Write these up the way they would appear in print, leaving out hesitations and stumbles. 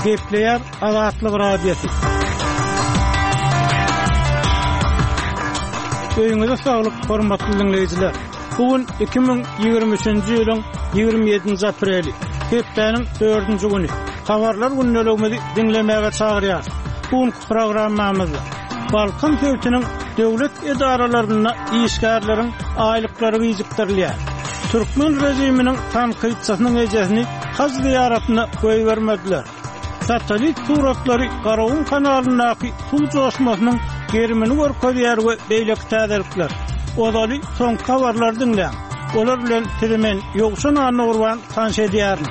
Gepleýär Azatlyk Radiosy. Öýüňize saglyk, hormatly diňleýjiler! Bu gün 2023-nji ýylyň 27-nji apreli, hepdäniň dördünji güni. Habarlar gündeligimizi diňlemäge çagyrýarys. Bu günki programmamyzda Balkan sebitiniň döwlet edaralarynda işgärleriň aýlyklary gijikdirilýär. Türkmen režiminiň tankytçysynyň ejesini haj zyýaratyna goýbermediler. Satellit suratlary Garagum kanalyndaky suw joşmasynyň gerimini görkezýär we beýleki täzelikler. Ozaly soňky habarlary diňläň. Olar bilen sizi men Ýowşan Annagurban tanyş edýärin.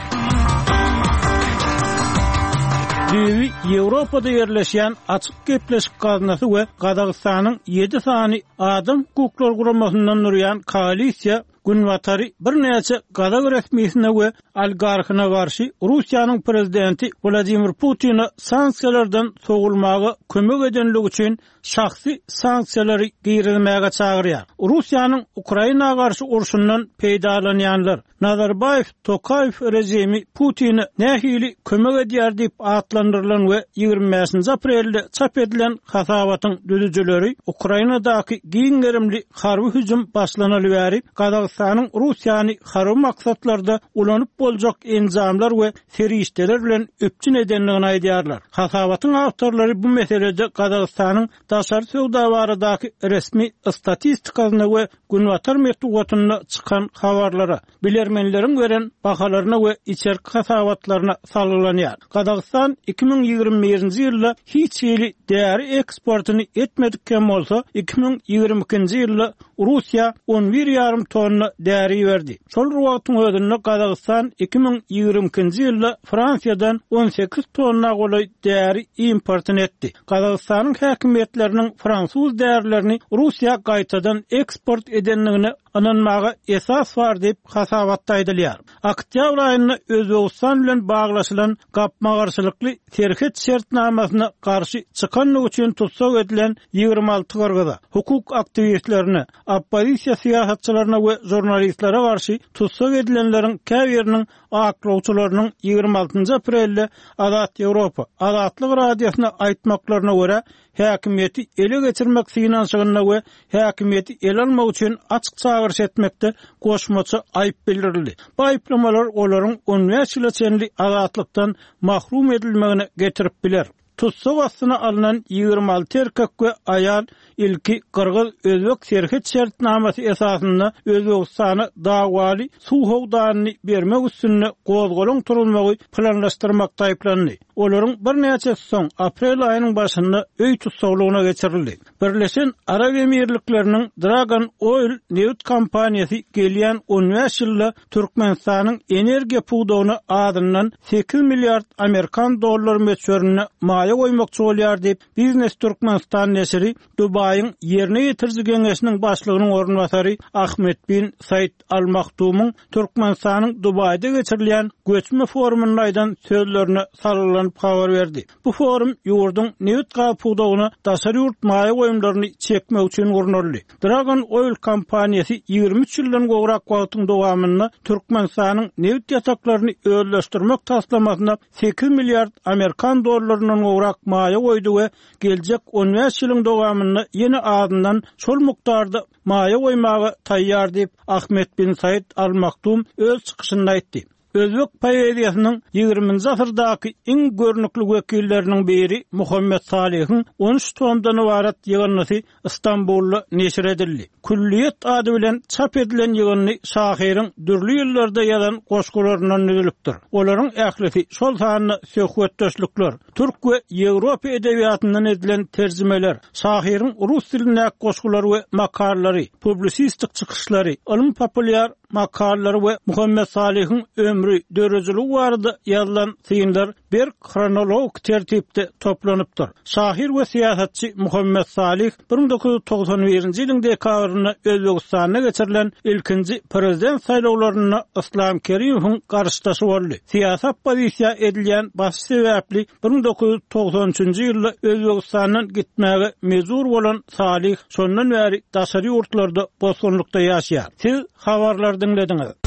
Düýbi Ýewropada ýerleşýän Açyk gepleşik gaznasy we Gazagystanyň ýedi sany adam hukuklary guramasyndan durýan koalisiýa Günbatary birnäçe gazak resmisine we oligarhyna garşy Russiýanyň prezidenti Wladimir Putine sanksiýalardan sowulmaga kömek edenligi üçin şahsy sanksiýalary girizmäge çagyrýar. Russiýanyň Ukraina garşy urşundan peýdalanýanlar, Nazarbaýew-Tokaýew režimi Putine nähili kömek edýär diýip atlandyrylan we 25-nji aprelde çap edilen hasabatyň düzüjileri Ukrainadaky giň gerimli harby hüjüm başlanaly bäri Gazagystanyň Russiýany harby maksatlarda ulanyp boljak enjamlar we serişdeler bilen üpjün edendigini aýdýarlar. Hasabatyň awtorlary bu meselede Gazagystanyň daşary söwda baradaky resmi statistikasyna we günbatar metbugatynda çykan habarlara, bilermenleriň beren bahalaryna we içerki hasabatlaryna salgylanýar. Gazagystan 2021-nji ýylda hiç hili däri eksportyny etmedik hem bolsa, 2022-nji ýylda Russiýa on bir ýarym tonna däri iberdi. Şol bir wagtyň özünde Gazagystan 2022-nji ýylda Fransiýadan 18 tonna golaý däri importyny etdi. Gazagystanyň häkimiýetleriniň fransuz därilerini Russiýa gaýtadan eksport edendigine ynanmaga esas bar diýip, hasabatda aýdylýar. Oktýabr aýynda Özbegistan bilen baglaşylan gapma-garşylykly serhet şertnamasyna garşy çykandygy üçin tussag edilen 26 gyrgyza, hukuk aktiwistlerine, oppozisiýa syýasatçylaryna we žurnalistlere garşy tussag edilenleriň käbiriniň aklawçylarynyň 26 aprelde Azat Ýewropa, Azatlyk Radiosyna aýtmaklaryna görä, häkimiýeti ele geçirmek synanyşygynda we häkimiýeti ele almak üçin açyk çagyryş etmekde goşmaça aýyp bildirildi. Bu aýyplamalar olaryň 15 ýyla çenli azatlykdan mahrum edilmegine getirip biler. Tussag astyna alnan 26 erkek we aýal ilki gyrgyz-özbek serhet şertnamasy esasynda Özbegistana dawaly suw howdanyny bermek üstünde gozgalaň turuzmagy planlaşdyrmakda aýyplandy. Olaryň birnäçesi soň, aprel aýynyň başynda öý tussaglygyna geçirildi. Birleşen Arap Emirlikleriniň Dragon Oil nebit kompaniýasy gelýän 15 ýylda Türkmenistanyň energiýa pudagyna azyndan 8 milliard amerikan dollary möçberinde maýa goýmakçy bolýar diýip, Biznes Türkmenistan neşiri Dubaýyň Ýerine ýetiriji geňeşiniň başlygynyň orunbasary Ahmed bin Said Al Maktumyň Türkmenistanyň Dubaýda geçirilýän göçme forumynda aýdan sözlerine salgylanyp habar berdi. Bu forum ýurduň nebit-gaz pudagyna daşary ýurt maýa goýumlaryny çekmek üçin gurnaldy. Dragon Oil kompaniýasy 23 ýyldan gowrak wagtyň dowamynda Türkmenistanyň nebit ýataklaryny özleşdirmek taslamasyna 8 milliard amerikan dollaryndan gowrak maýa goýdy we geljek 15 ýylyň dowamynda ýene azyndan şol mukdarda maýa goýmaga taýýar diýip, Ahmed bin Said Al Maktum öz çykyşynda aýtdy. Özbek poeziýasynyň ýigriminji asyrdaky iň görnükli wekilleriniň biri Muhammet Salyhyň on üç tomdan ybarat ýygyndysy Stambulda neşir edildi. Külliýet ady bilen çap edilen ýygyndy şahyryň dürli ýyllarda ýazan goşgularyndan düzülipdir. Olaryň ählisi, şol sanda söhbetdeşlikler, Türk we Ýewropa edebiýatyndan edilen terjimeler, şahyryň rus dilindäki goşgulary we makalalary, publisistik çykyşlary, ylmy-populýar makalalary we Muhammet Salyhyň ömri, döredijiligi barada ýazylan synlar berk hronologik tertipde toplanypdyr. Şahyr we syýasatçy Muhammet Salyh 1991-nji ýylyň dekabrynda Özbegistanda geçirilen ilkinji prezident saýlawlarynda Yslam Kerimowyň garşydaşy boldy. Syýasy oppozisiýa edilýän basyş sebäpli 1993-nji ýylda Özbegistandan gitmäge mejbur bolan Salyh şondan bäri daşary ýurtlarda bosgunlykda ýaşaýar. Siz habarlary diňlediňiz.